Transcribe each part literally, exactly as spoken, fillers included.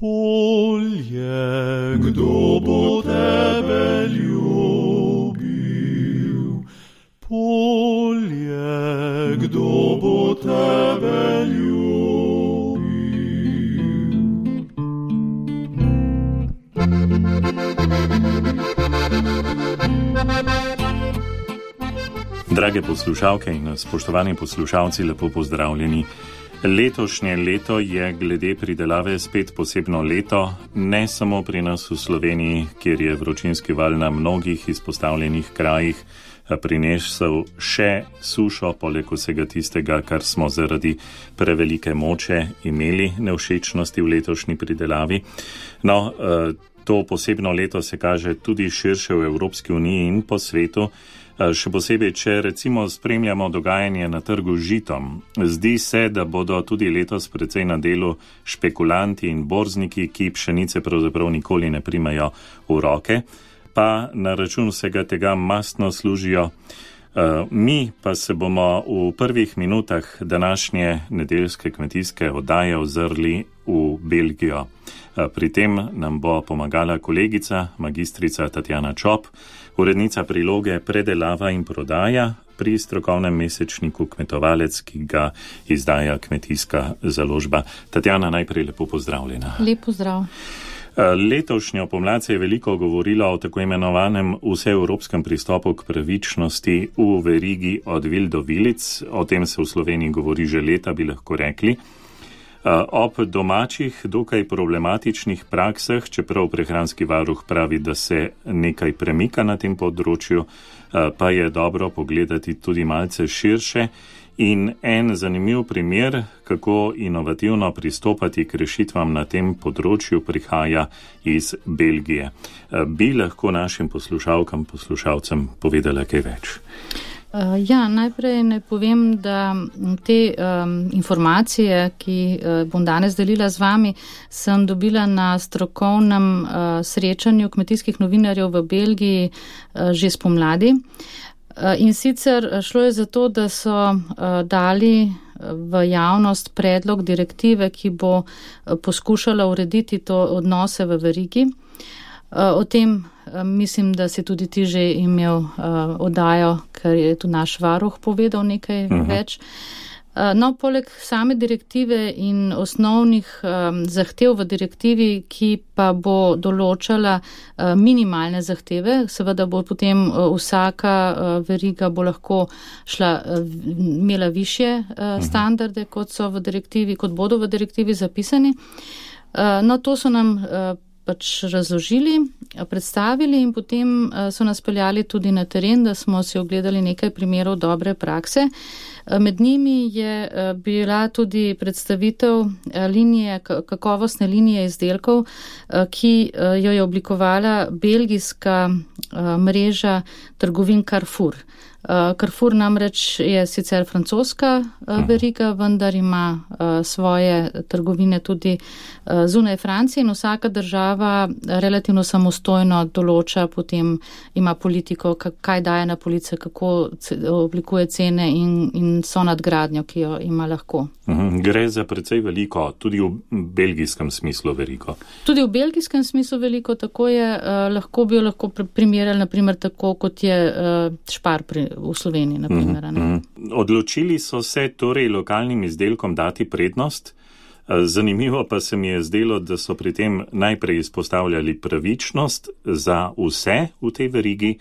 Polje, kdo bo tebe ljubil? Polje, kdo bo tebe ljubil? Drage poslušalke in spoštovani poslušalci, lepo pozdravljeni. Letošnje leto je glede pridelave spet posebno leto, ne samo pri nas v Sloveniji, kjer je vročinski val na mnogih izpostavljenih krajih prinesel še sušo, poleg vsega tistega, kar smo zaradi prevelike moče imeli nevšečnosti v letošnji pridelavi. No, to posebno leto se kaže tudi širše v Evropski uniji in po svetu. Še posebej, če recimo spremljamo dogajanje na trgu z žitom. Zdi se, da bodo tudi letos precej na delu špekulanti in borzniki, ki pšenice pravzaprav nikoli ne primajo v roke, pa na račun vsega tega mastno služijo. Mi pa se bomo v prvih minutah današnje nedeljske kmetijske oddaje ozrli v Belgijo. Pri tem nam bo pomagala kolegica, magistrica Tatjana Čop, urednica priloge Predelava in prodaja pri strokovnem mesečniku Kmetovalec, ki ga izdaja Kmetijska založba. Tatjana, najprej lepo pozdravljena. Lep pozdrav. Letošnjo pomlad se je veliko govorilo o tako imenovanem vseevropskem pristopu k pravičnosti v verigi od vil do vilic. O tem se v Sloveniji govori že leta, bi lahko rekli. Ob domačih, dokaj problematičnih praksah, čeprav prehranski varuh pravi, da se nekaj premika na tem področju, pa je dobro pogledati tudi malce širše. In en zanimiv primer, kako inovativno pristopati k rešitvam na tem področju, prihaja iz Belgije. Bi lahko našim poslušalkam, poslušalcem povedala kaj več? Ja, najprej ne povem, da te um, informacije, ki uh, bom danes delila z vami, sem dobila na strokovnem uh, srečanju kmetijskih novinarjev v Belgiji uh, že spomladi. Uh, in sicer šlo je za to, da so uh, dali v javnost predlog direktive, ki bo uh, poskušala urediti to odnose v verigi. Uh, o tem mislim, da si tudi ti že imel uh, oddajo, ker je tu naš varuh povedal nekaj uh-huh. več. Uh, no, poleg same direktive in osnovnih um, zahtev v direktivi, ki pa bo določala uh, minimalne zahteve, seveda bo potem uh, vsaka uh, veriga bo lahko šla, uh, imela višje uh, uh-huh. standarde, kot so v direktivi, kot bodo v direktivi zapisani. Uh, no, to so nam uh, pač razložili, predstavili in potem so nas peljali tudi na teren, da smo si ogledali nekaj primerov dobre prakse. Med njimi je bila tudi predstavitev linije, kakovostne linije izdelkov, ki jo je oblikovala belgijska mreža trgovin Carrefour. Carrefour namreč je sicer francoska veriga, vendar ima svoje trgovine tudi zunaj Francije in vsaka država relativno samostojno določa, potem ima politiko, kaj daje na police, kako oblikuje cene in, in so nadgradnjo, ki jo ima lahko. Gre za precej veliko, tudi v belgijskem smislu veliko. Tudi v belgijskem smislu veliko, tako je, lahko bi jo lahko primerjali, naprimer tako, kot je Spar pri v Sloveniji, na primer. Mm-hmm. Odločili so se torej lokalnim izdelkom dati prednost. Zanimivo pa se mi je zdelo, da so pri tem najprej izpostavljali pravičnost za vse v tej verigi,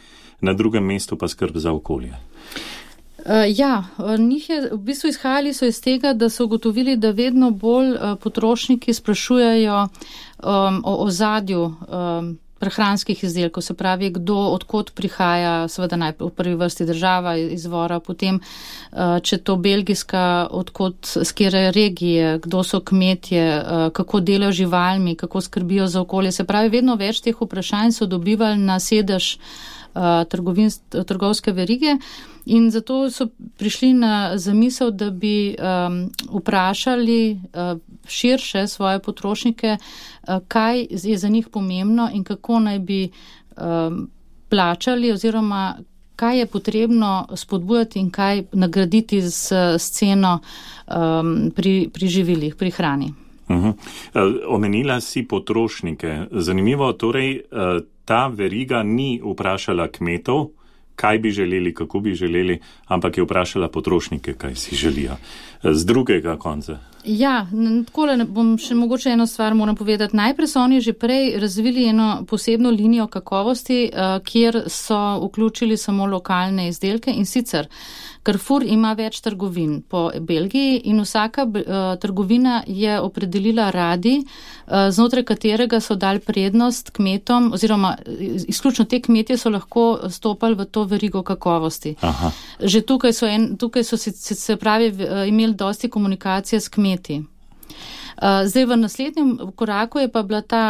na drugem mestu pa skrb za okolje. Uh, ja, njih je, v bistvu izhajali so iz tega, da so ugotovili, da vedno bolj uh, potrošniki sprašujejo um, o ozadju um, prehranskih izdelkov, se pravi, kdo, odkot prihaja, seveda najprej v prvi vrsti država izvora, potem, če to belgijska, odkot, z kere regije, kdo so kmetje, kako delajo živalmi, kako skrbijo za okolje. Se pravi, vedno več teh vprašanj so dobivali na sedež trgovin, trgovske verige in zato so prišli na zamisel, da bi um, vprašali uh, širše svoje potrošnike, uh, kaj je za njih pomembno in kako naj bi um, plačali oziroma kaj je potrebno spodbujati in kaj nagraditi s, s ceno um, pri, pri živilih, pri hrani. Uh-huh. Omenila si potrošnike. Zanimivo, torej ta veriga ni vprašala kmetov, kaj bi želeli, kako bi želeli, ampak je vprašala potrošnike, kaj si želijo. Z drugega konca. Ja, takole bom še mogoče eno stvar moram povedati. Najprej so oni že prej razvili eno posebno linijo kakovosti, kjer so vključili samo lokalne izdelke in sicer Carrefour ima več trgovin po Belgiji in vsaka uh, trgovina je opredelila radi, uh, znotraj katerega so dali prednost kmetom, oziroma izključno te kmetje so lahko stopali v to verigo kakovosti. Aha. Že tukaj so, en, tukaj so se, se pravi imeli dosti komunikacije s kmeti. Uh, zdaj v naslednjem koraku je pa bila ta,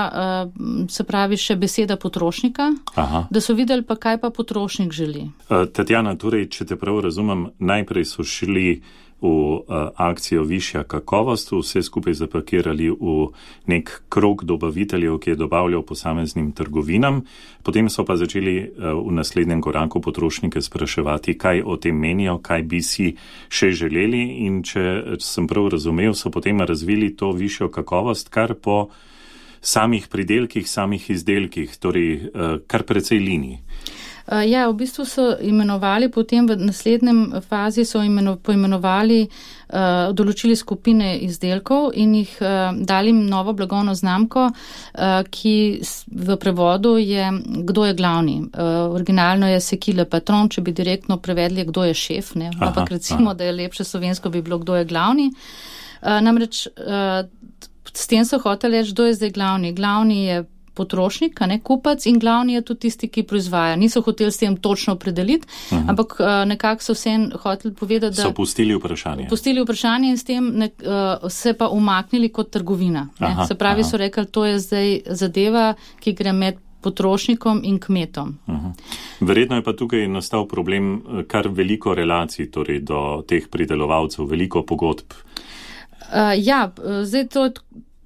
uh, se pravi, še beseda potrošnika, Aha. da so videli pa, kaj pa potrošnik želi. Uh, Tatjana, torej, če te prav razumem, najprej so šli v uh, akcijo višja kakovost, vse skupaj zapakirali v nek krog dobaviteljev, ki je dobavljal posameznim trgovinam, potem so pa začeli uh, v naslednjem koraku potrošnike spraševati, kaj o tem menijo, kaj bi si še želeli in če sem prav razumel, so potem razvili to višjo kakovost kar po samih pridelkih, samih izdelkih, torej uh, kar precej linij. Ja, v bistvu so imenovali, potem v naslednjem fazi so imeno, poimenovali, uh, določili skupine izdelkov in jih uh, dali novo blagovno znamko, uh, ki v prevodu je kdo je glavni. Uh, originalno je Sekile Patron, če bi direktno prevedli, kdo je šef, ne? Aha, ampak recimo, aha. da je lepše slovensko bi bilo, kdo je glavni. Uh, namreč uh, s tem so hoteli reči, kdo je zdaj glavni. Glavni je potrošnik, ne, kupac in glavni je tudi tisti, ki proizvaja. Niso hoteli s tem točno opredeliti, uh-huh. ampak uh, nekako so vse hoteli povedati, da... So pustili vprašanje. Pustili vprašanje in s tem ne, uh, se pa umaknili kot trgovina. Aha, se pravi, aha. so rekli, to je zdaj zadeva, ki gre med potrošnikom in kmetom. Uh-huh. Verjetno je pa tukaj nastal problem kar veliko relacij, torej do teh pridelovalcev, veliko pogodb. Uh, ja, zdaj to...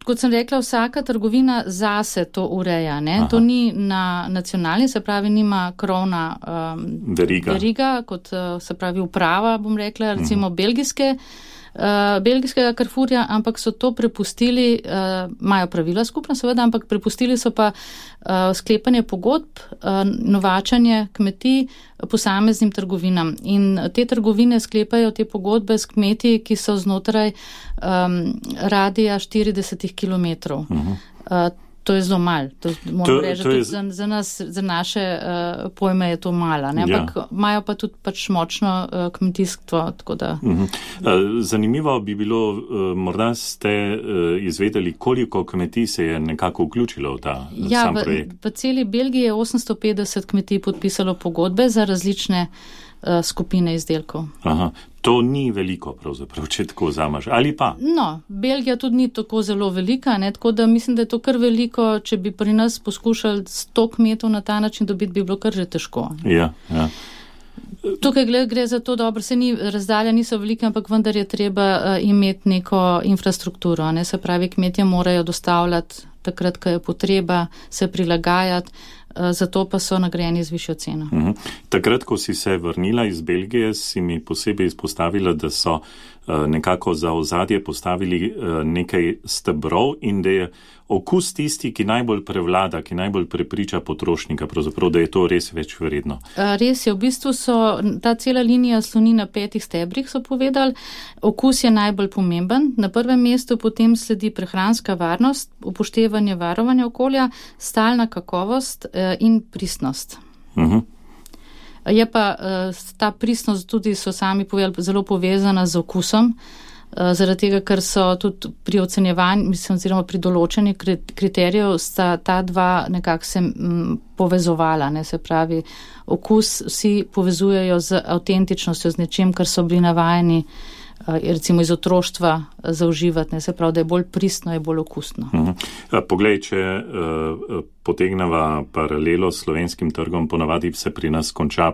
Kot sem rekla, vsaka trgovina zase to ureja. Ne? To ni na nacionalni, se pravi, nima krovna um, veriga. veriga, kot se pravi uprava, bom rekla, recimo uh-huh. belgijske, uh, belgijskega Carrefourja, ampak so to prepustili, uh, imajo pravila skupna seveda, ampak prepustili so pa uh, sklepanje pogodb, uh, novačanje kmetij posameznim trgovinam. In te trgovine sklepajo te pogodbe s kmeti, ki so znotraj um, radija štirideset kilometrov. Uh-huh. Uh, to je zelo malo. To, to, reči, to je... za, za, nas, za naše uh, pojme je to malo. Ampak ja. imajo pa tudi pač močno uh, kmetijstvo. Tako da... uh-huh. uh, zanimivo bi bilo, uh, morda ste uh, izvedeli, koliko kmetij se je nekako vključilo v ta ja, sam projekt. V, v celi Belgiji je osemsto petdeset kmetij podpisalo pogodbe za različne uh, skupine izdelkov. Aha. To ni veliko, pravzaprav, če tako vzameš, ali pa? No, Belgija tudi ni tako zelo velika, ne? Tako da mislim, da je to kar veliko, če bi pri nas poskušali sto kmetov na ta način dobiti, bi bilo kar že težko. Ja, ja. Tukaj gre, gre za to dobro, se ni, razdalja niso velike, ampak vendar je treba uh, imeti neko infrastrukturo, ne? Se pravi, kmetje morajo dostavljati takrat, ko je potreba, se prilagajati, zato pa so nagrajeni z višjo ceno. Uh-huh. Takrat, ko si se vrnila iz Belgije, si mi posebej izpostavila, da so uh, nekako za ozadje postavili uh, nekaj stebrov in da je okus tisti, ki najbolj prevlada, ki najbolj prepriča potrošnika, pravzaprav, da je to res več vredno. Uh, res je, v bistvu so, ta cela linija sloni na petih stebrih, so povedali. Okus je najbolj pomemben. Na prvem mestu potem sledi prehranska varnost, upoštevanje varovanja okolja, stalna kakovost uh, in pristnost. Uh-huh. Je pa uh, ta pristnost tudi, so sami povedali, zelo povezana z okusom, uh, zaradi tega, ker so tudi pri ocenjevanju, mislim, oziroma pri določenju kriterijev sta ta dva nekako se m, povezovala, ne, se pravi, okus vsi povezujejo z avtentičnostjo, z nečim, kar so bili navajeni recimo iz otroštva zauživati, ne, se pravi, da je bolj pristno, je bolj okusno. Uh-huh. Poglej, če uh, potegneva paralelo s slovenskim trgom, ponavadi se pri nas konča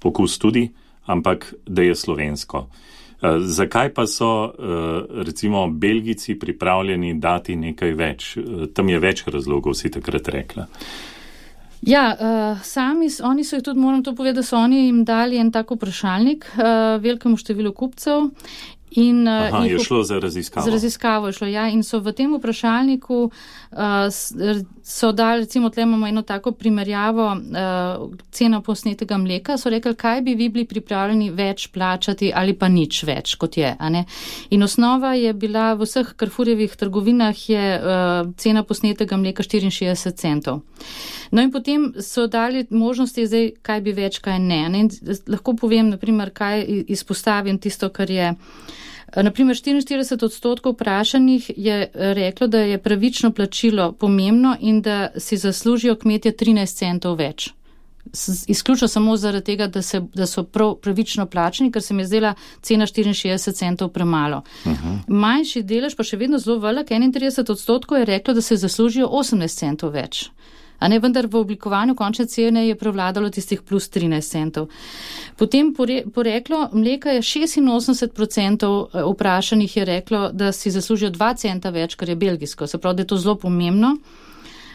okus tudi, ampak da je slovensko. Uh, zakaj pa so uh, recimo Belgijci pripravljeni dati nekaj več? Uh, tam je več razlogov, si takrat rekla. Ja, uh, sami, oni so jih tudi, moram to povedati, da so oni jim dali en tak vprašalnik uh, velikemu številu kupcev In, Aha, in je šlo za raziskavo. Za raziskavo je šlo, ja. In so v tem vprašalniku uh, so dali, recimo, tle imamo eno tako primerjavo uh, ceno posnetega mleka, so rekli, kaj bi vi bili pripravljeni več plačati ali pa nič več, kot je. A ne? In osnova je bila v vseh Carrefourjevih trgovinah je uh, cena posnetega mleka štiriinšestdeset centov. No in potem so dali možnosti zdaj, kaj bi več, kaj ne. ne? Lahko povem, naprimer, kaj izpostavim tisto, kar je. Naprimer, štiriinštirideset odstotkov vprašanih je reklo, da je pravično plačilo pomembno in da si zaslužijo kmetje trinajst centov več. Izključno samo zaradi tega, da, se, da so prav pravično plačeni, ker se mi je zdela cena štiriinšestdeset centov premalo. Uh-huh. Manjši delež, pa še vedno zelo velik, enaintrideset odstotkov je reklo, da se zaslužijo osemnajst centov več. A ne, vendar v oblikovanju končne cene je prevladalo tistih plus trinajst centov. Potem poreklo mleka je šestinosemdeset procentov vprašanih je reklo, da si zaslužijo dva centa več, kar je belgijsko. Se pravi, da je to zelo pomembno.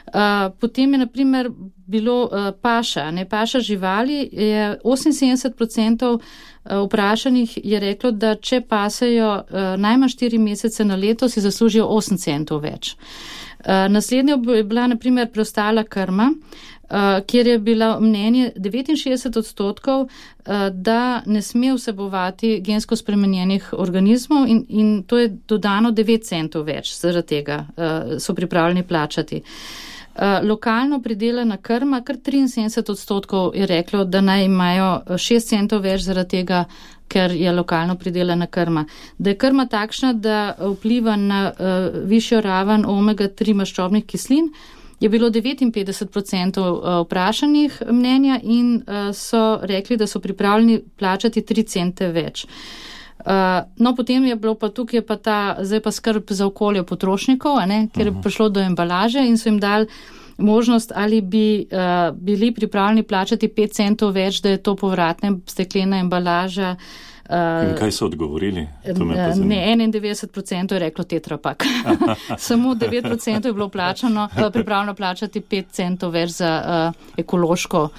Uh, potem je, na primer, bilo uh, paša. Ne, paša živali je oseminsedemdeset procentov vprašanih je reklo, da če pasejo uh, najmanj štiri mesece na leto, si zaslužijo osem centov več. Uh, naslednja je bila, na primer, preostala krma, uh, kjer je bila mnenje devetinšestdeset odstotkov, uh, da ne sme vsebovati gensko spremenjenih organizmov in, in to je dodano devet centov več, zaradi tega uh, so pripravljeni plačati. Uh, lokalno pridelana krma, kar triinsedemdeset odstotkov je reklo, da naj imajo šest centov več zaradi tega, ker je lokalno pridelana krma. Da je krma takšna, da vpliva na uh, višjo raven omega tri maščobnih kislin, je bilo devetinpetdeset procentov vprašanih mnenja in uh, so rekli, da so pripravljeni plačati tri cente več. Uh, no, potem je bilo pa tukaj pa ta, zdaj pa skrb za okolje potrošnikov, a ne, ker je prišlo do embalaže in so jim dali možnost, ali bi uh, bili pripravljeni plačati pet centov več, da je to povratna steklena embalaža. Uh, in kaj so odgovorili? Ne, enaindevetdeset procentov je reklo Tetra Pak. Samo devet procentov je bilo plačano, uh, pripravljeno plačati pet centov več za uh, ekološko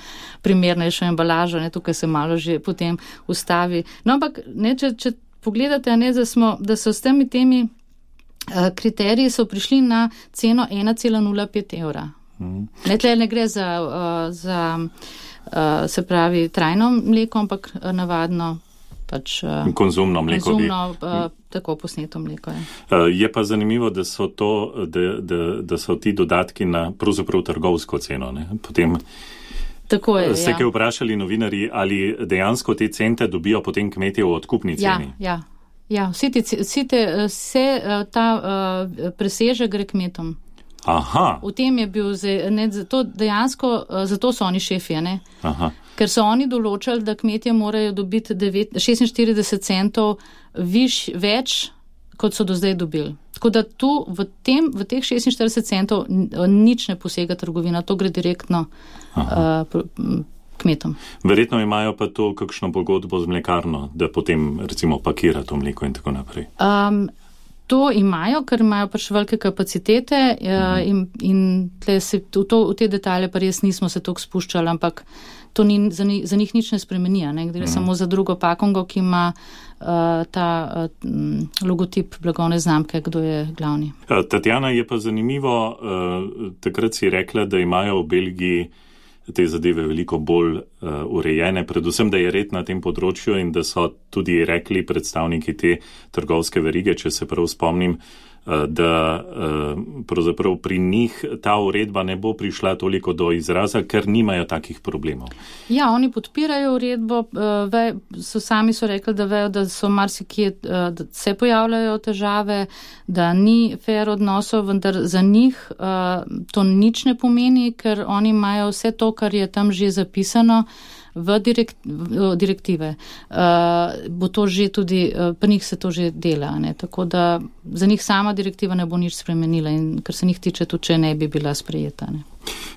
primernejšo embalažo, ne, tukaj se malo že potem ustavi. No, ampak, ne, če, če pogledate, ne, da, smo, da so s temi temi uh, kriteriji so prišli na ceno ena cela nula pet evra. Mm. Ne, tle ne gre za, uh, za uh, se pravi, trajno mleko, ampak uh, navadno pač uh, konzumno mleko. Konzumno, uh, tako posneto mleko je. Uh, je pa zanimivo, da so, to, da, da, da so ti dodatki na pravzaprav trgovsko ceno. Ne? Potem tako je, ste ja. kaj vprašali novinarji, ali dejansko te cente dobijo potem kmetje v odkupni ceni? Ja, ja. ja vsi te, vsi te, vse ta uh, preseže gre kmetom. Aha. V tem je bil, ne, zato dejansko, zato so oni šefi, ne? Aha. Ker so oni določali, da kmetje morajo dobiti šestinštirideset centov viš, več, kot so do zdaj dobili. Tako da tu v, tem, v teh šestinštirideset centov nič ne posega trgovina, to gre direktno uh, kmetom. Verjetno imajo pa to kakšno pogodbo z mlekarno, da potem recimo pakira to mleko in tako naprej. Um, To imajo, ker imajo pač velike kapacitete uh, in, in tle se, v, to, v te detalje pa res nismo se toliko spuščali, ampak to ni, za, ni, za njih nič ne spremeni, ne? Gre mm. samo za drugo pakongo, ki ima uh, ta uh, logotip blagovne znamke, kdo je glavni. Tatjana, je pa zanimivo, uh, takrat si rekla, da imajo v Belgiji te zadeve veliko bolj uh, urejene, predvsem, da je red na tem področju in da so tudi rekli predstavniki te trgovske verige, če se prav spomnim, uh, da uh, pravzaprav pri njih ta uredba ne bo prišla toliko do izraza, ker nimajo takih problemov. Ja, oni podpirajo uredbo, uh, ve, so sami so rekli, da vejo, da so marsikje, uh, da se pojavljajo težave, da ni fair odnosov, vendar za njih uh, to nič ne pomeni, ker oni imajo vse to, kar je tam že zapisano v, direkt, v direktive. Uh, bo to že tudi, uh, pri njih se to že dela, ne? Tako da za njih sama direktiva ne bo nič spremenila in kar se njih tiče, tudi če ne bi bila sprejeta. Ne?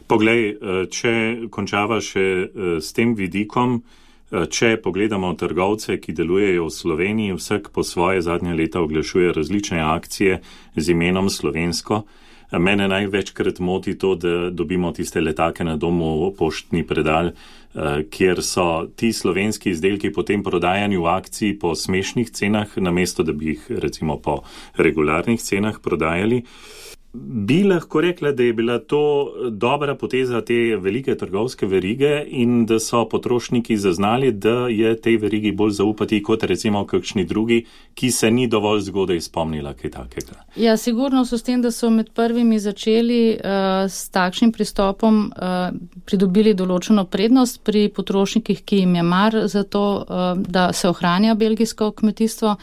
Poglej, če končava še s tem vidikom, če pogledamo trgovce, ki delujejo v Sloveniji, vsak po svoje zadnje leta oglašuje različne akcije z imenom slovensko. Mene največkrat moti to, da dobimo tiste letake na domu, poštni predal, kjer so ti slovenski izdelki potem prodajani v akciji po smešnih cenah, namesto da bi jih recimo po regularnih cenah prodajali. Bi lahko rekla, da je bila to dobra poteza te velike trgovske verige in da so potrošniki zaznali, da je tej verigi bolj zaupati kot recimo kakšni drugi, ki se ni dovolj zgodaj spomnila kaj takega. Ja, sigurno so s tem, da so med prvimi začeli uh, s takšnim pristopom uh, pridobili določeno prednost pri potrošnikih, ki jim je mar za to, uh, da se ohranja belgijsko kmetijstvo.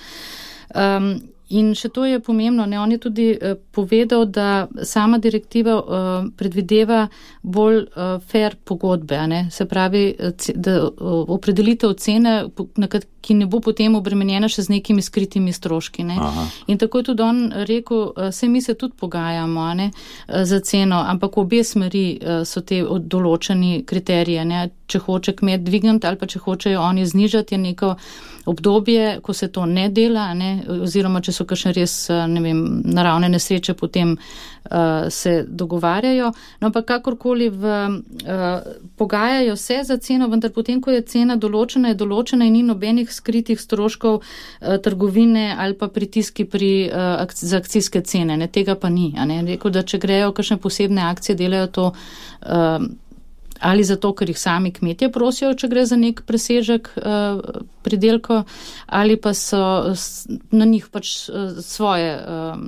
Um, In še to je pomembno, ne, on je tudi uh, povedal, da sama direktiva uh, predvideva bolj uh, fair pogodbe, ne, se pravi, da uh, opredelitev cene, ki ne bo potem obremenjena še z nekimi skritimi stroški. Ne. In tako je tudi on rekel, uh, se mi se tudi pogajamo, ne, uh, za ceno, ampak obe smeri uh, so te določeni kriterije, ne, če hoče kmet dvigniti ali pa če hočejo oni znižati, je neko obdobje, ko se to ne dela, ne, oziroma če so kakšne res, ne vem, naravne nesreče, potem uh, se dogovarjajo. No, pa kakorkoli v, uh, pogajajo se za ceno, vendar potem, ko je cena določena, je določena in ni nobenih skritih stroškov uh, trgovine ali pa pritiski pri, uh, ak- za akcijske cene. Ne, tega pa ni. A ne. Rekel, da če grejo kakšne posebne akcije, delajo to uh, ali zato, ker jih sami kmetje prosijo, če gre za nek presežek uh, pridelko, ali pa so na njih pač uh, svoje, um,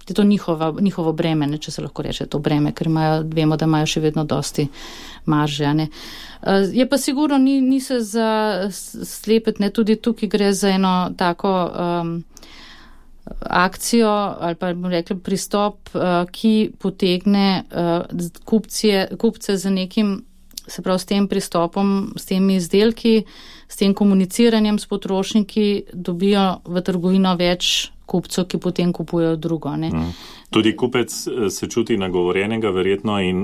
je to njihova, njihovo breme, ne, če se lahko reče to breme, ker imajo, vemo, da imajo še vedno dosti marže. Ne. Uh, je pa sigurno, ni, ni se za slepet, ne, tudi tukaj gre za eno tako um, akcijo ali pa bomo rekli pristop, uh, ki potegne uh, kupcije, kupce za nekim, se pravi s tem pristopom, s temi izdelki, s tem komuniciranjem s potrošniki dobijo v trgovino več kupcev, ki potem kupujejo drugo. Ne. Mm. Tudi kupec se čuti nagovorjenega verjetno in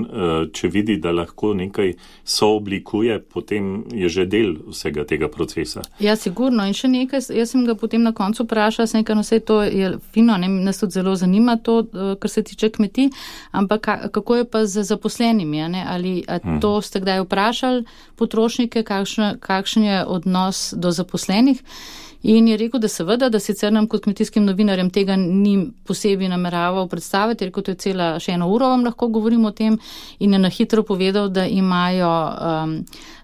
če vidi, da lahko nekaj sooblikuje, potem je že del vsega tega procesa. Ja, sigurno. In še nekaj, jaz sem ga potem na koncu vprašala, sem nekaj, no vse to je fino, ne, nas tudi zelo zanima to, kar se tiče kmetij, ampak kako je pa z zaposlenimi, ne? Ali hmm. to ste kdaj vprašali potrošnike, kakšen, kakšen je odnos do zaposlenih? In je rekel, da seveda, da sicer nam kot kmetijskim novinarjem tega ni posebej nameraval predstaviti, je rekel, to je cela še eno uro vam lahko govorim o tem in je na hitro povedal, da imajo um,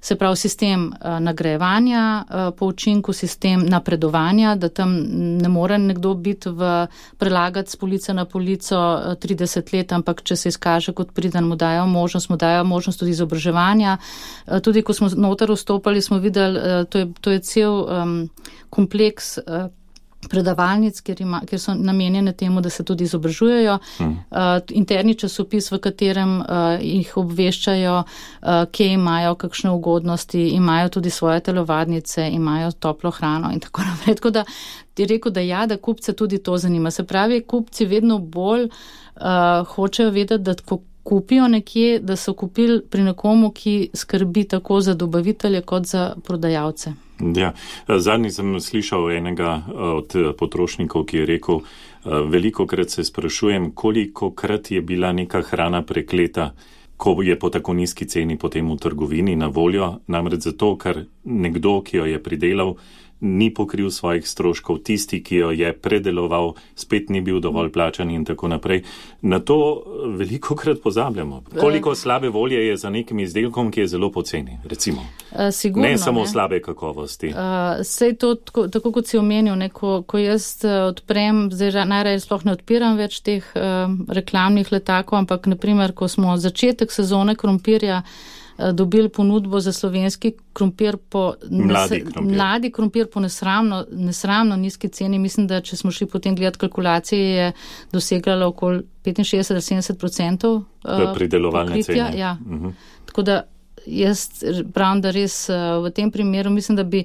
se pravi sistem uh, nagrajevanja uh, po učinku, sistem napredovanja, da tam ne more nekdo biti v prelagati s police na polico uh, trideset let, ampak če se izkaže kot priden, mu dajo možnost, mu dajo možnost tudi izobraževanja. Uh, tudi ko smo noter vstopali, smo videli, uh, to je, to je cel um, kompleks uh, predavalnic, kjer, ima, kjer so namenjene temu, da se tudi izobražujejo. Hmm. Uh, interni časopis, v katerem uh, jih obveščajo, uh, kje imajo kakšne ugodnosti, imajo tudi svoje telovadnice, imajo toplo hrano in tako naprej. Tako da je rekel, da ja, da kupce tudi to zanima. Se pravi, kupci vedno bolj uh, hočejo vedeti, da ko kupijo nekje, da so kupili pri nekomu, ki skrbi tako za dobavitelje kot za prodajalce. Ja, zadnji sem slišal enega od potrošnikov, ki je rekel, veliko krat se sprašujem, koliko krat je bila neka hrana prekleta, ko je po tako nizki ceni potem v trgovini na voljo, namreč zato, ker nekdo, ki jo je pridelal, ni pokril svojih stroškov, tisti, ki jo je predeloval, spet ni bil dovolj plačan in tako naprej. Na to veliko krat pozabljamo. Koliko slabe volje je za nekim izdelkom, ki je zelo poceni, recimo. Sigurno, ne samo ne. slabe kakovosti. Uh, sej to, tako, tako kot si omenil, ne, ko, ko jaz odprem, zdaj najraje sploh ne odpiram več teh uh, reklamnih letakov, ampak naprimer, ko smo začetek sezone krompirja dobili ponudbo za slovenski krompir po mladi krompir, mladi krompir po nesramno, nesramno nizki ceni. Mislim, da če smo šli potem gledati kalkulacije, je dosegala okoli petinšestdeset do sedemdeset procentov uh, pridelovalne cene. Ja. Uh-huh. Tako da jaz pravim, da res uh, v tem primeru mislim, da bi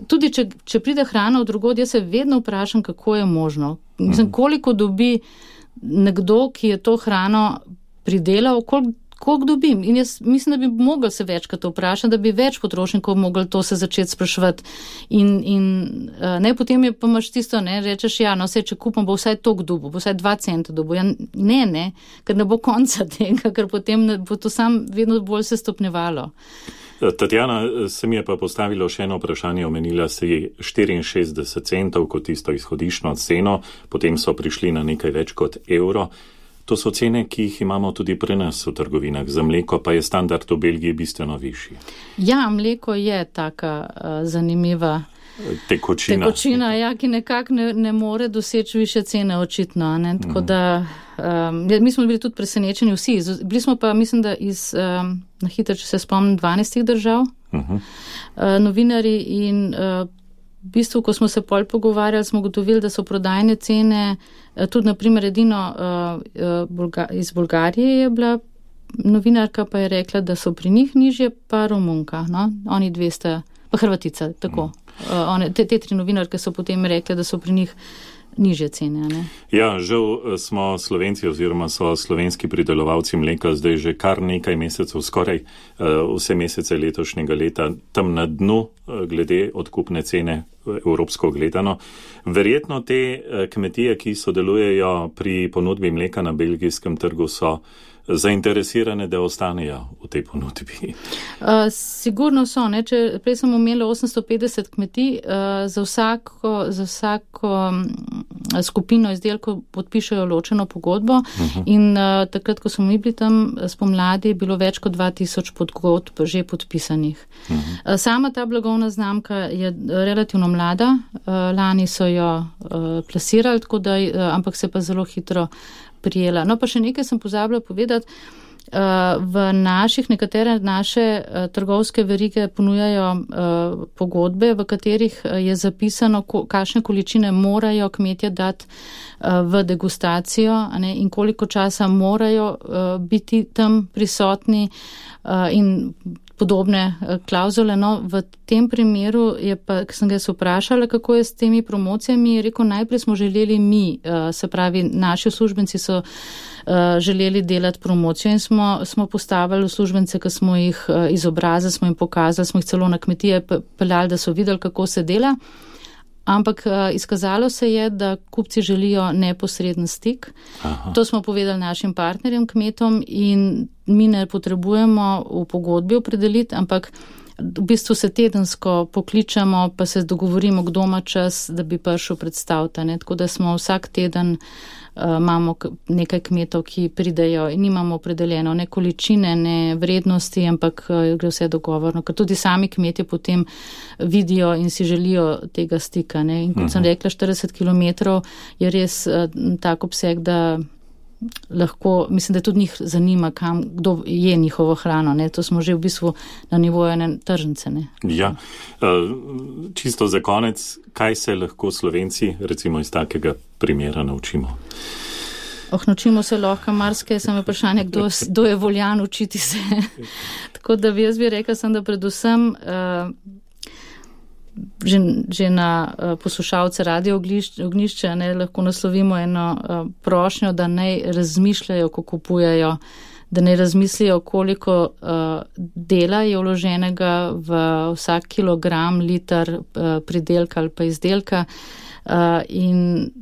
tudi, če, če pride hrana od drugod, jaz se vedno vprašam, kako je možno. Mislim, uh-huh. koliko dobi nekdo, ki je to hrano pridelal, koliko koliko dobim. In jaz mislim, da bi mogli se večkrat vprašati, da bi več potrošnikov mogli to se začeti spraševati. In, in ne, potem je pa imaš tisto, ne, rečeš, ja, no, vse, če kupam, bo vsaj tok dobu, bo vsaj dva centa dobu. Ja, ne, ne, ker ne bo konca tega, ker potem bo to sam vedno bolj se stopnevalo. Tatjana, se mi je pa postavilo še eno vprašanje, omenila si štiriinšestdeset centov kot tisto izhodiščno ceno, potem so prišli na nekaj več kot evro. To so cene, ki jih imamo tudi pri nas v trgovinah. Za mleko pa je standard v Belgiji bistveno višji. Ja, mleko je taka uh, zanimiva tekočina, tekočina ja, ki nekako ne, ne more doseči više cene očitno. Ne? Tako mm. da, um, mi smo bili tudi presenečeni vsi. Bili smo pa, mislim, da iz, um, na hitro, če se spomnim, dvanajstih držav, uh-huh. uh, novinari in uh, v bistvu, ko smo se pol pogovarjali, smo gotovili, da so prodajne cene, tudi naprimer edino uh, iz Bolgarije je bila novinarka, pa je rekla, da so pri njih nižje, pa Romunka, no? Oni dve sta, pa Hrvatica, tako. Uh, one, te, te tri novinarke so potem rekle, da so pri njih nižje cene, ne? Ja, žal smo Slovenci oziroma so slovenski pridelovalci mleka zdaj že kar nekaj mesecev, skoraj uh, vse mesece letošnjega leta, tam na dnu uh, glede odkupne cene evropsko gledano. Verjetno te uh, kmetije, ki sodelujejo pri ponudbi mleka na belgijskem trgu, so zainteresirane, da ostanejo v tej ponudbi? Uh, sigurno so, ne? Če prej sem imela osemsto petdeset kmetij, uh, za vsako, za vsako um, skupino izdelkov podpišajo ločeno pogodbo uh-huh. in uh, takrat, ko smo mi bili tam spomladi, je bilo več kot dva tisoč pogodb že podpisanih. Uh-huh. Uh, sama ta blagovna znamka je relativno mlada, uh, lani so jo uh, plasirali, tako da, uh, ampak se pa zelo hitro prijela. No, pa še nekaj sem pozabila povedati. V naših, nekatere naše trgovske verige ponujajo pogodbe, v katerih je zapisano, kakšne količine morajo kmetje dati v degustacijo, ne, in koliko časa morajo biti tam prisotni in podobne klauzule. No, v tem primeru je pa, ko sem ga se vprašala, kako je s temi promocijami, je rekel, najprej smo želeli mi, se pravi, naši uslužbenci so želeli delati promocijo in smo, smo postavili uslužbence, ki smo jih izobrazili, smo jim pokazali, smo jih celo na kmetije peljali, da so videli, kako se dela. Ampak izkazalo se je, da kupci želijo neposreden stik. Aha. To smo povedali našim partnerjem, kmetom, in mi ne potrebujemo v pogodbi opredeliti, ampak v bistvu se tedensko pokličemo, pa se dogovorimo, kdo ima čas, da bi prišel predstaviti. Ne? Tako da smo vsak teden uh, imamo nekaj kmetov, ki pridejo in nimamo opredeljeno ne količine, ne vrednosti, ampak uh, gre vse dogovorno, ker tudi sami kmetje potem vidijo in si želijo tega stika. Ne? In kot uh-huh. sem rekla, štirideset kilometrov je res uh, tak obseg, da lahko, mislim, da tudi njih zanima, kam, kdo je njihovo hrano. Ne? To smo že v bistvu na nivoju ene tržnice. Ne? Ja, čisto za konec, kaj se lahko Slovenci recimo iz takega primera naučimo? Oh, naučimo se lahko marsikaj, samo vprašanje, kdo, kdo je voljan učiti se. Tako da bi jaz bi rekla, sem, da predvsem uh, Že, že na uh, poslušalce Radio Ognjišče ne, lahko naslovimo eno uh, prošnjo, da naj razmišljajo, ko kupujejo, da naj razmislijo, koliko uh, dela je vloženega v vsak kilogram, liter uh, pridelka ali pa izdelka uh, in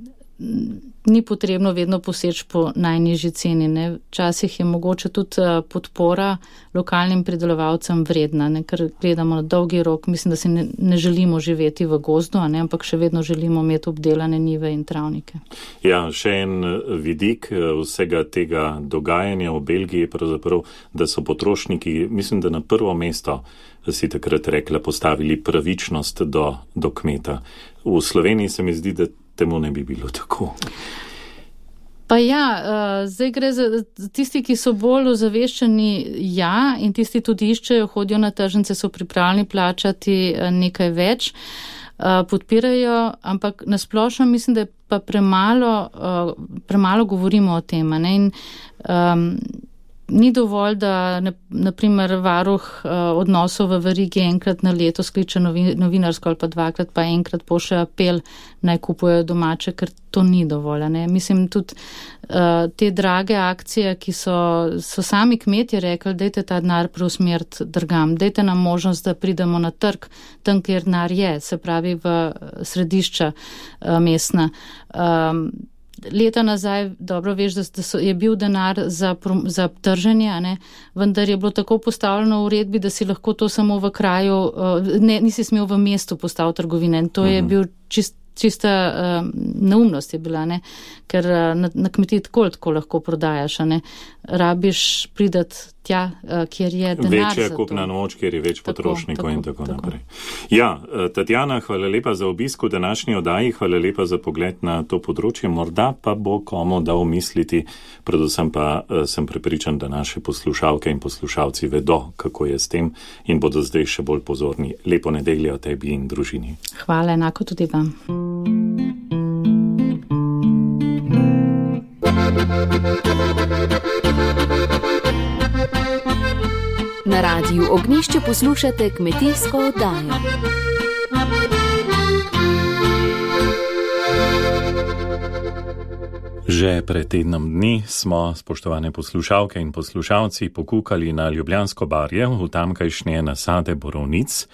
ni potrebno vedno poseči po najnižji ceni. Ne. Včasih je mogoče tudi podpora lokalnim pridelovalcem vredna, ne, ker gledamo na dolgi rok. Mislim, da si ne, ne želimo živeti v gozdu, ne, ampak še vedno želimo imeti obdelane njive in travnike. Ja, še en vidik vsega tega dogajanja v Belgiji, pravzaprav, da so potrošniki, mislim, da na prvo mesto, si takrat rekla, postavili pravičnost do, do kmeta. V Sloveniji se mi zdi, da temu ne bi bilo tako. Pa ja, uh, zdaj gre za tisti, ki so bolj ozaveščeni, ja, in tisti tudi iščejo, hodijo na tržnice, so pripravljeni plačati nekaj več, uh, podpirajo, ampak nasplošno mislim, da je pa premalo, uh, premalo govorimo o tem. Ne? In, um, ni dovolj, da naprimer varuh odnosov v verigi enkrat na leto skliče novinarsko ali pa dvakrat, pa enkrat pošlje apel, naj kupujejo domače, ker to ni dovolj. Ne? Mislim, tudi uh, te drage akcije, ki so, so sami kmetje rekli, dajte ta denar preusmeriti drugam, dajte nam možnost, da pridemo na trg, tam, kjer denar je, se pravi v središča uh, mestna. Um, Leta nazaj, dobro veš, da, da so, je bil denar za, za trženje, a ne? Vendar je bilo tako postavljeno v uredbi, da si lahko to samo v kraju, ne, nisi smel v mestu postaviti trgovine. In to uh-huh. je bil čist, čista uh, neumnost je bila, ne? Ker uh, na, na kmetiji tako tako lahko prodajaš, a ne? Rabiš pridati tja, uh, kjer je denar. Večja kupna moč, kjer je več tako, potrošnikov tako, in tako, tako naprej. Ja, Tatjana, hvala lepa za obisk v današnji oddaji, hvala lepa za pogled na to področje. Morda pa bo komu dal misliti, predvsem pa uh, sem prepričan, da naše poslušalke in poslušalci vedo, kako je s tem in bodo zdaj še bolj pozorni. Lepo nedeljo tebi in družini. Hvala, enako tudi vam. Na radiju Ognjišče poslušate kmetijsko oddajo. Že pred tednom dni smo, spoštovane poslušalke in poslušalci, pokukali na Ljubljansko barje v tamkajšnje nasade borovnic.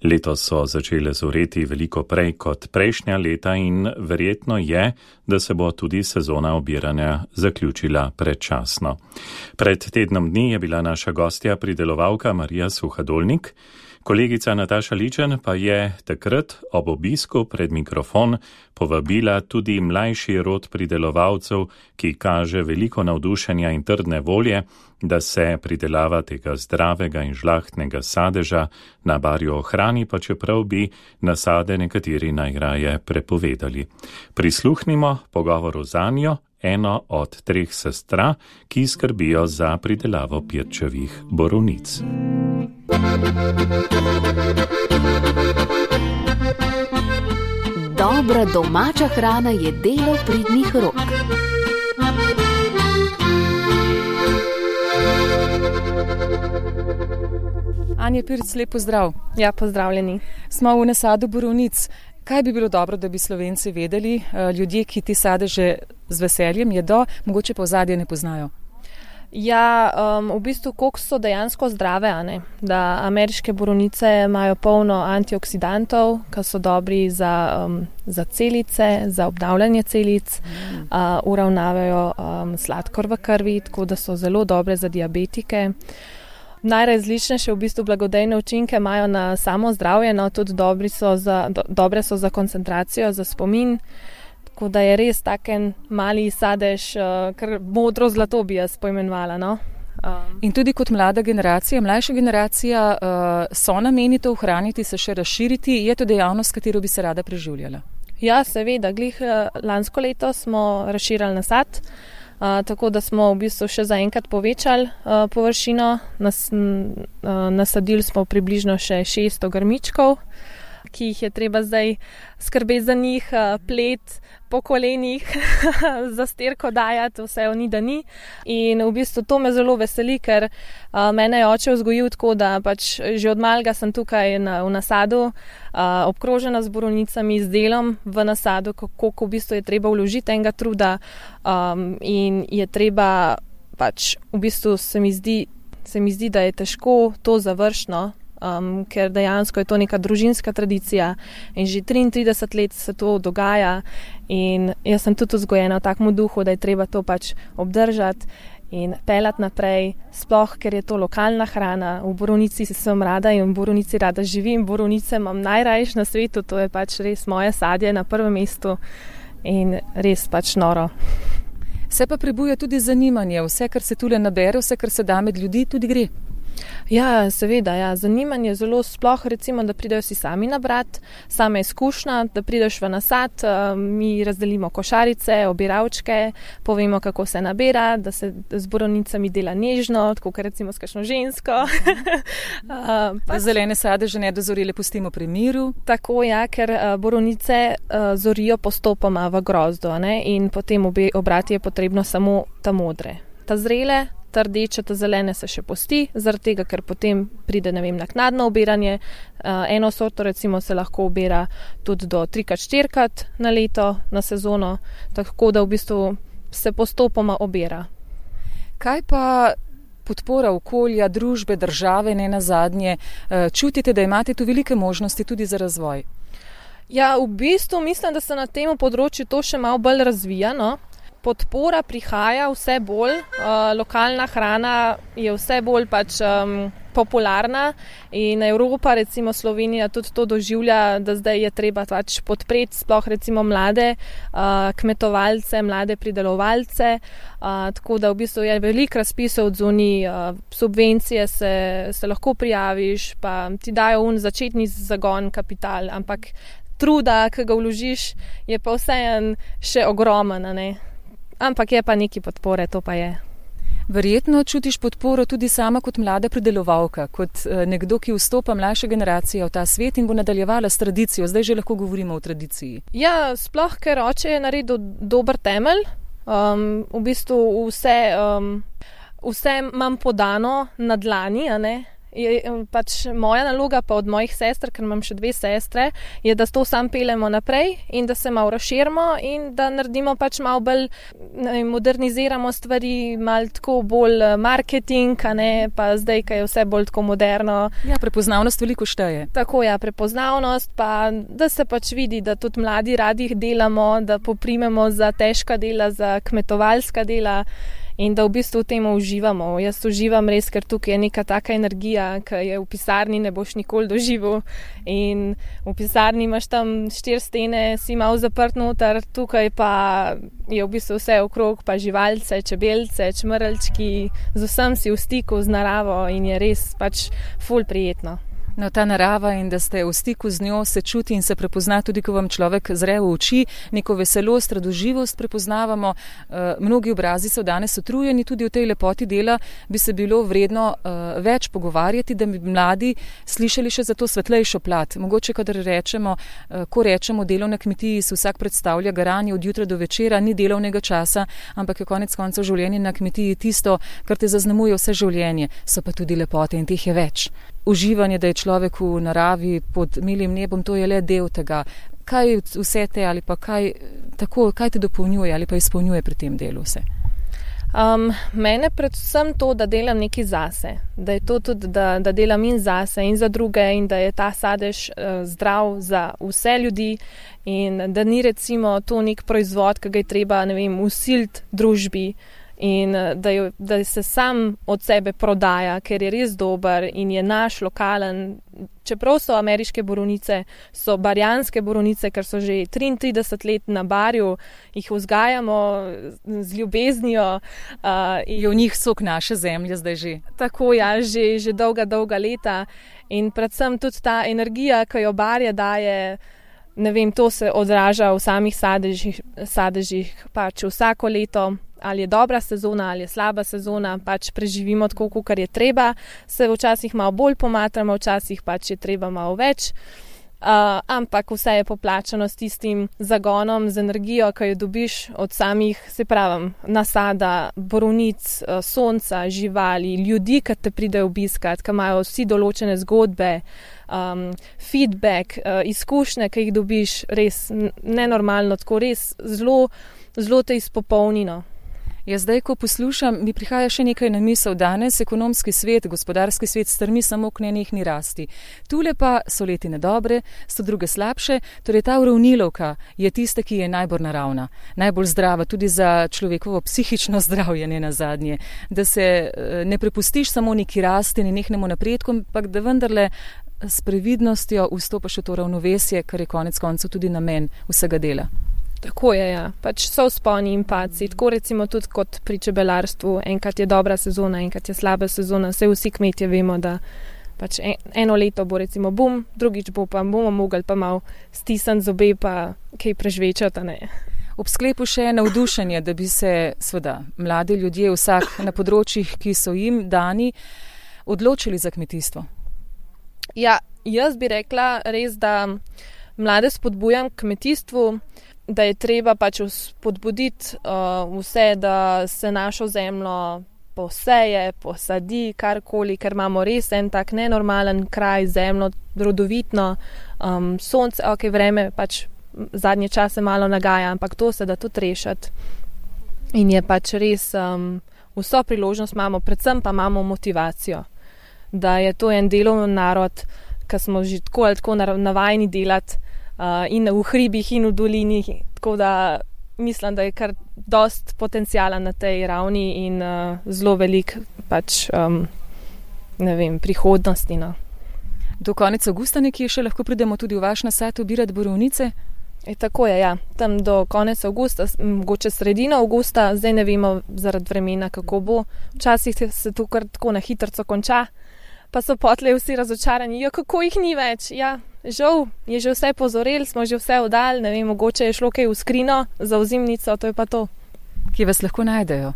Letos so začele zoreti veliko prej kot prejšnja leta in verjetno je, da se bo tudi sezona obiranja zaključila predčasno. Pred tednom dni je bila naša gostja pridelovalka Marija Suhadolnik. Kolegica Nataša Ličen pa je takrat ob obisku pred mikrofon povabila tudi mlajši rod pridelovalcev, ki kaže veliko navdušenja in trdne volje, da se pridelava tega zdravega in žlahtnega sadeža na barju ohrani, pa čeprav bi nasade nekateri najraje prepovedali. Prisluhnimo pogovoru z Anjo, eno od treh sestra, ki skrbijo za pridelavo pirčevih borovnic. Dobra domača hrana je delo pridnih rok. Anja Pirc, lep pozdrav. Ja, pozdravljeni. Smo v nasadu borovnic. Kaj bi bilo dobro, da bi Slovenci vedeli, ljudje, ki te sadeže z veseljem jedo, mogoče pa ozadje ne poznajo? Ja, um, v bistvu koliko so dejansko zdrave, a ne? Da ameriške borovnice imajo polno antioksidantov, ki so dobri za, um, za celice, za obnavljanje celic, mm. uh, uravnavajo um, sladkor v krvi, tako da so zelo dobre za diabetike. Najrazličnejše v bistvu blagodejne učinke imajo na samo zdravje, no tudi dobri so za, do, dobre so za koncentracijo, za spomin. Tako da je res taken mali sadež, kar modro zlato bi jaz poimenovala. No? Um. In tudi kot mlada generacija, mlajša generacija, so namenite ohraniti, se še razširiti, je to dejavnost, katero bi se rada preživljala? Ja, seveda. Glih lansko leto smo razširali nasad, tako da smo v bistvu še zaenkrat povečali površino. Nas, nasadili smo približno še šeststo grmičkov, ki jih je treba zdaj skrbeti za njih, plet po kolenih, za sterko dajati, vse oni da ni. In v bistvu to me zelo veseli, ker uh, mene je oče vzgojil tako, da pač že od malega sem tukaj na, v nasadu, uh, obkrožena z borovnicami, z delom v nasadu, koliko v bistvu je treba vložiti enega truda um, in je treba pač v bistvu se mi zdi, se mi zdi, da je težko to završno, Um, ker dejansko je to neka družinska tradicija in že triintrideset let se to dogaja in jaz sem tudi vzgojena v takem duhu, da je treba to pač obdržati in pelati naprej, sploh ker je to lokalna hrana. V borovnici sem rada in v borovnici rada živim, borovnice imam najrajš na svetu, to je pač res moje sadje na prvem mestu in res pač noro. Se pa prebuja tudi zanimanje, vse, kar se tule nabere, vse, kar se da med ljudi, tudi gre. Ja, seveda, ja. Zanimanje je zelo sploh, recimo, da pridejo si sami nabrat, sama izkušnja, da prideš v nasad, mi razdelimo košarice, obiravčke, povemo, kako se nabira, da se z borovnicami dela nežno, tako kot recimo s kakšno žensko. Pa zelene sadeže nedozorele pustimo pri miru. Tako, ja, ker borovnice zorijo postopoma v grozdu, ne? In potem obe obrati je potrebno samo ta modre. Ta zrele ta rdeča, ta zelene se še pusti, zaradi tega, ker potem pride, ne vem, naknadno obiranje. Uh, eno sorto recimo se lahko obira tudi do trikrat, štirikrat na leto, na sezono, tako da v bistvu se postopoma obira. Kaj pa podpora okolja, družbe, države, ne nazadnje? Čutite, da imate tu velike možnosti tudi za razvoj? Ja, v bistvu mislim, da se na tem področju to še malo bolj razvija, no. Podpora prihaja vse bolj, uh, lokalna hrana je vse bolj pač um, popularna in Evropa, recimo Slovenija, tudi to doživlja, da zdaj je treba pač podpreti sploh recimo mlade uh, kmetovalce, mlade pridelovalce, uh, tako da v bistvu je veliko razpisov odzuni, uh, subvencije se, se lahko prijaviš, pa ti dajo un začetni zagon kapital, ampak truda, ki ga vložiš, je pa vseeno še ogromen, ne? Ampak je pa neki podpore, to pa je. Verjetno čutiš podporo tudi sama kot mlada pridelovalka, kot nekdo, ki vstopa mlajša generacija v ta svet in bo nadaljevala s tradicijo. Zdaj že lahko govorimo o tradiciji. Ja, sploh, ker oče je naredil dober temelj. Um, v bistvu vse, um, vse imam podano na dlani, a ne? Je, pač moja naloga pa od mojih sester, ker imam še dve sestre, je, da to sam peljemo naprej in da se malo razširimo in da naredimo pač malo bolj, ne, moderniziramo stvari, malo tako bolj marketing, a ne, pa zdaj, ko je vse bolj tako moderno. Ja, prepoznavnost veliko šteje. Tako, ja, prepoznavnost, pa da se pač vidi, da tudi mladi radi delamo, da poprimemo za težka dela, za kmetovalska dela. In da v bistvu v tem uživamo. Jaz uživam res, ker tukaj je neka taka energija, ki je v pisarni ne boš nikoli doživel. In v pisarni imaš tam štiri stene, si malo zaprt noter, tukaj pa je v bistvu vse okrog, pa živalce, čebelce, čmrlčki, z vsem si v stiku z naravo in je res pač ful prijetno. No, ta narava in da ste v stiku z njo, se čuti in se prepozna tudi, ko vam človek zre v oči, neko veselost, radoživost prepoznavamo. Uh, mnogi obrazi so danes utrujeni, tudi o tej lepoti dela bi se bilo vredno uh, več pogovarjati, da bi mladi slišali še za to svetlejšo plat. Mogoče, kadar rečemo, uh, ko rečemo delo na kmetiji, se vsak predstavlja garanje od jutra do večera, ni delovnega časa, ampak je konec koncev življenje na kmetiji tisto, kar te zaznamuje vse življenje. So pa tudi lepote in teh je več. Uživanje, da je človek v naravi pod milim nebom, to je le del tega. Kaj vse te ali pa kaj, tako, kaj te dopolnjuje ali pa izpolnjuje pri tem delu vse? Um, mene predvsem to, da delam nekaj zase, da je to tudi, da, da delam in zase in za druge in da je ta sadež uh, zdrav za vse ljudi in da ni recimo to nek proizvod, ki ga je treba, ne vem, usiliti družbi. In da, je, da se sam od sebe prodaja, ker je res dober in je naš lokalen. Čeprav so ameriške borovnice, so barjanske borovnice, ker so že triintrideset let na barju, jih vzgajamo z ljubeznijo. Uh, je v njih sok naše zemlje zdaj že. Tako, ja, že, že dolga, dolga leta. In predvsem tudi ta energija, ki jo barje daje, ne vem, to se odraža v samih sadežih, sadežih pač vsako leto. Ali je dobra sezona, ali je slaba sezona, pač preživimo tako, kakor je treba, se včasih malo bolj pomatramo, včasih pač je treba malo več, uh, ampak vse je poplačano s tistim zagonom, z energijo, ki jo dobiš od samih, se pravim, nasada, borovnic, uh, sonca, živali, ljudi, ki te pridejo obiskat, ki imajo vsi določene zgodbe, um, feedback, uh, izkušnje, ki jih dobiš res nenormalno, tako res zelo, zelo te izpopolnino. Ja, zdaj, ko poslušam, mi prihaja še nekaj na misel. Danes ekonomski svet, gospodarski svet strmi samo k nenehni rasti. Tule pa so letine dobre, so druge slabše, torej ta uravnilovka je tista, ki je najbolj naravna, najbolj zdrava, tudi za človekovo psihično zdravje, ne nazadnje. Da se ne prepustiš samo neki rasti, nenehnemu napredku, ampak da vendarle s previdnostjo vstopaš v to ravnovesje, kar je konec koncev tudi namen vsega dela. Tako je, ja. Pač so vzponi in padci. Tako recimo tudi kot pri čebelarstvu. Enkrat je dobra sezona, enkrat je slaba sezona. Vse vsi kmetje vemo, da pač eno leto bo recimo bum, drugič bo pa bomo mogli pa malo stisniti zobe pa kaj prežvečati, ne. Ob sklepu še navdušenje, da bi se seveda mladi ljudje vsak na področjih, ki so jim dani, odločili za kmetijstvo. Ja, jaz bi rekla res, da mlade spodbujam k kmetijstvu, da je treba pač spodbuditi uh, vse, da se našo zemljo poseje, posadi, karkoli, ker imamo res en tak nenormalen kraj, zemljo, rodovitno, um, sonce, ok, vreme pač zadnje čase malo nagaja, ampak to se da tudi rešiti. In je pač res, um, vso priložnost imamo, predvsem pa imamo motivacijo, da je to en delovni narod, ki smo že tako ali tako navajeni delati uh, in v hribih in v dolini, tako da mislim, da je kar dost potencijala na tej ravni in uh, zelo velik pač, um, ne vem, prihodnosti. No. Do konec avgusta nekje še lahko pridemo tudi v vaš nasad obirati borovnice? E, tako je, ja. Tam do konec avgusta, mogoče sredino avgusta, zdaj ne vemo zaradi vremena, kako bo. Včasih se to kar tako na hitrco konča, pa so potlej vsi razočarani, jo, kako jih ni več. Ja, žal, je že vse pozorel, smo že vse oddali, ne vem, mogoče je šlo kaj v skrino za ozimnico, to je pa to. Kje vas lahko najdejo?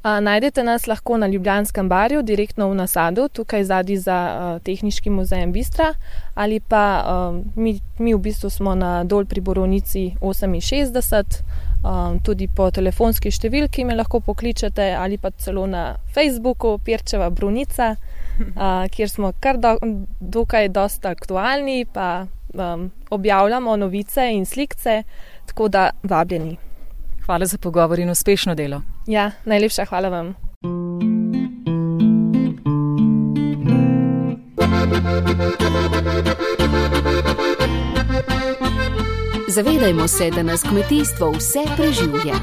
A, najdete nas lahko na Ljubljanskem barju, direktno v nasadu, tukaj zadaj za a, Tehniški muzej Bistra, ali pa a, mi, mi v bistvu smo na Dol pri Borovnici oseminšestdeset, a, tudi po telefonski številki me lahko pokličete, ali pa celo na Facebooku Pirčeva Borovnica, a, kjer smo kar do, dokaj dosta aktualni, pa a, objavljamo novice in slikce, tako da vabljeni. Hvala za pogovor in uspešno delo. Ja, najlepša hvala vam. Zavedajmo se, da nas kmetijstvo vse preživlja.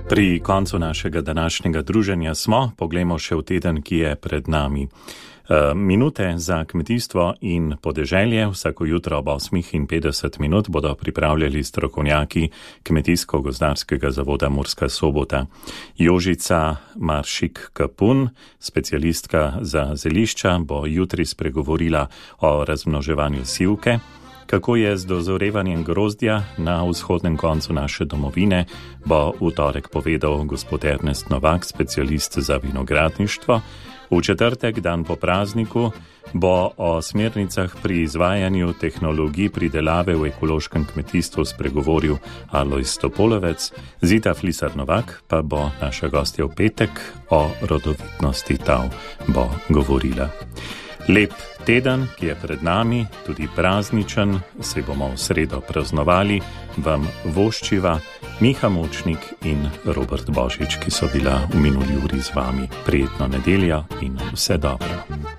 Pri koncu našega današnjega druženja smo, poglejmo še v teden, ki je pred nami. Minute za kmetijstvo in podeželje vsako jutro ob osmih in petdeset minut bodo pripravljali strokovnjaki Kmetijsko-gozdarskega zavoda Murska Sobota. Jožica Maršik-Kapun, specialistka za zelišča, bo jutri spregovorila o razmnoževanju sivke. Kako je z dozorevanjem grozdja na vzhodnem koncu naše domovine, bo v torek povedal gospod Ernest Novak, specialist za vinogradništvo. V četrtek, dan po prazniku, bo o smernicah pri izvajanju tehnologij pridelave v ekološkem kmetijstvu spregovoril Alojz Topolovec. Zita Flisar Novak pa bo naša gostja v petek o rodovitnosti tav bo govorila. Lep teden, ki je pred nami, tudi prazničen, se bomo v sredo praznovali, vam voščiva Miha Močnik in Robert Božič, ki so bila v minuli uri z vami. Prijetno nedeljo in vse dobro.